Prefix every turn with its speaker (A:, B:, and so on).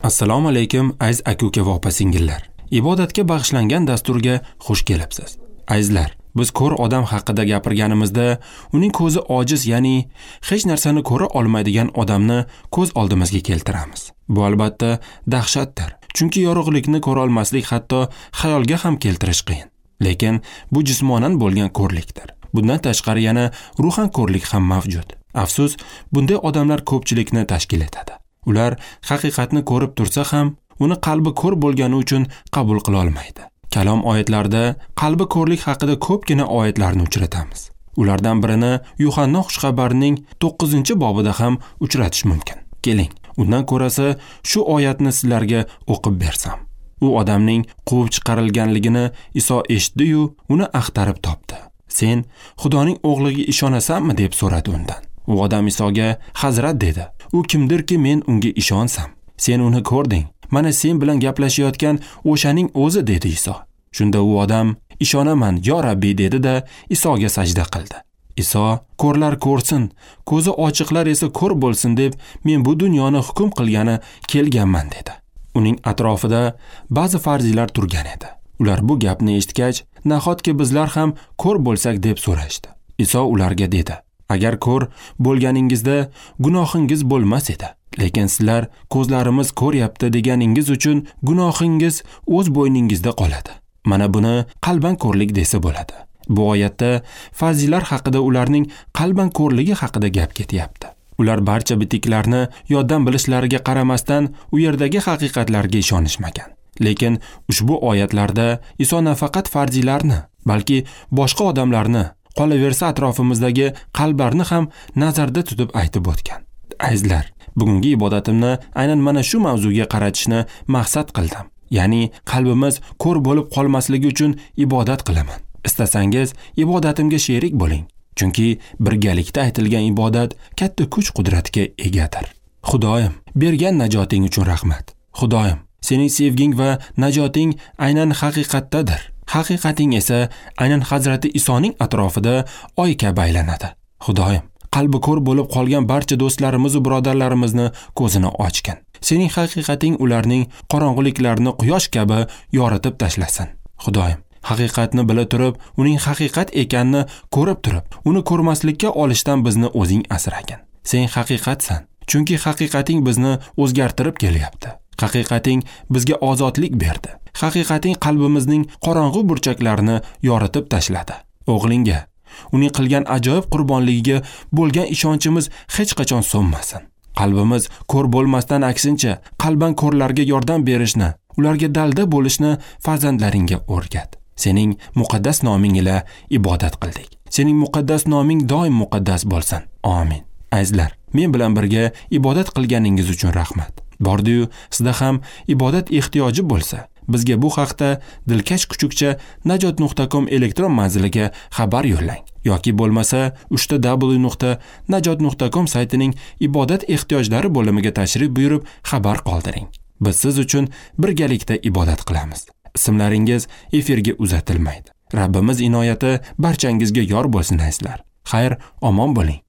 A: Assalomu alaykum aziz aka-uka va opa-singillar. Ibodatga bag'ishlangan dasturga xush kelibsiz. Azizlar, biz ko'r odam haqida gapirganimizda uning ko'zi ojiz, ya'ni hech narsani ko'ra olmaydigan odamni ko'z oldimizga keltiramiz. Bu albatta dahshatdir. Chunki yorug'likni ko'ra olmaslik hatto xayolga ham keltirish qiyin. Lekin bu jismonan bo'lgan ko'rlikdir. Bundan tashqari yana ruhan ko'rlik ham mavjud. Afsus, bunday odamlar ko'pchilikni tashkil etadi. Ular haqiqatni ko'rib tursa ham, uni qalbi ko'r bo'lgani uchun qabul qila olmaydi. Kalom oyatlarida qalbi ko'rlik haqida ko'pgina oyatlarni uchratamiz. Ulardan birini Yuhanna xushxabarining 9-bobida ham uchratish mumkin. Keling, undan ko'rasi shu oyatni sizlarga o'qib bersam. U odamning quvib chiqarilganligini Iso eshitdi-yu, uni axtarib topdi. Sen Xudoning o'g'liga ishonasanmi deb so'radi undan. U odam Isoga: "Hazrat" dedi. "U kimdirki men unga ishonsam? Sen uni ko'rding. Mana sen bilan gaplashayotgan o'shaning o'zi" dedi Iso. Shunda u odam: "Ishonaman, yo Rabbi" dedi-da Isoga sajda qildi. Iso: "Ko'rlar ko'rsin, ko'zi ochiqlar esa ko'r bo'lsin deb men bu dunyoni hukm qilgani kelganman" dedi. Uning atrofida ba'zi farziylar turgan edi. Ular bu gapni eshitgach, nahotki bizlar ham ko'r bo'lsak deb so'rashdi. Iso ularga dedi: "Agar ko'r bo'lganingizda gunohingiz bo'lmas edi. Lekin sizlar ko'zlarimiz ko'ryapti deganingiz uchun gunohingiz o'z bo'yningizda qoladi." Mana buni qalban ko'rlik desa bo'ladi. Bu oyatda fazilar haqida, ularning qalban ko'rligi haqida gap ketyapti. Ular barcha bitiklarni yoddan bilishlariga qaramasdan u yerdagi haqiqatlarga ishonishmagan. Lekin ushbu oyatlarda Iso nafaqat farzilarni, balki boshqa odamlarni, qolaversa atrofimizdagi qalblarni ham nazarda tutib aytib o'tgan. Azizlar, bugungi ibodatimni aynan mana shu mavzuga qaratishni maqsad qildim. Ya'ni qalbimiz ko'r bo'lib qolmasligi uchun ibodat qilaman. Istasangiz ibodatimga sherik bo'ling. Chunki birgalikda aytilgan ibodat katta kuch-qudratga egadir. Xudoyim, bergan najoting uchun rahmat. Xudoyim, sening sevging va najoting aynan haqiqatdadir. Haqiqating esa aynan Hazrati Isoning atrofida oy kabi aylanadi. Xudoyim, qalbi ko'r bo'lib qolgan barcha do'stlarimiz va birodarlarimizni ko'zini ochgin. Sening haqiqating ularning qorong'uliklarini quyosh kabi yoritib tashlasin. Xudoyim, haqiqatni bila turib, uning haqiqat ekanini ko'rib turib, uni ko'rmaslikka olishdan bizni o'zing asragin. Sen haqiqatsan, chunki haqiqating bizni o'zgartirib kelyapti. Haqiqating bizga ozodlik berdi. Haqiqating qalbimizning qorong'u burchaklarini yoritib tashladi. O'g'lingga, uning qilgan ajoyib qurbonligiga bo'lgan ishonchimiz hech qachon so'nmasin. Qalbimiz ko'r bo'lmasdan, aksincha, qalban ko'rlarga yordam berishni, ularga dalda bo'lishni farzandlaringga o'rgat. Sening muqaddas noming ila ibodat qildik. Sening muqaddas noming doim muqaddas bo'lsin. Amin. Azizlar, men bilan birga ibodat qilganingiz uchun rahmat. Bordi-yu, sizda ham ibodat ehtiyoji bo'lsa, bizga bu haqda dilkashkuchukcha@najot.com elektron manziliga xabar yo'llang yoki bo'lmasa www.najot.com saytining ibodat ehtiyojlari bo'limiga tashrif buyurib xabar qoldiring. Biz siz uchun birgalikda ibodat qilamiz. Ismlaringiz efirga uzatilmaydi. Rabbimiz inoyati barchangizga yor bo'lsin azizlar. Xayr, omon bo'ling.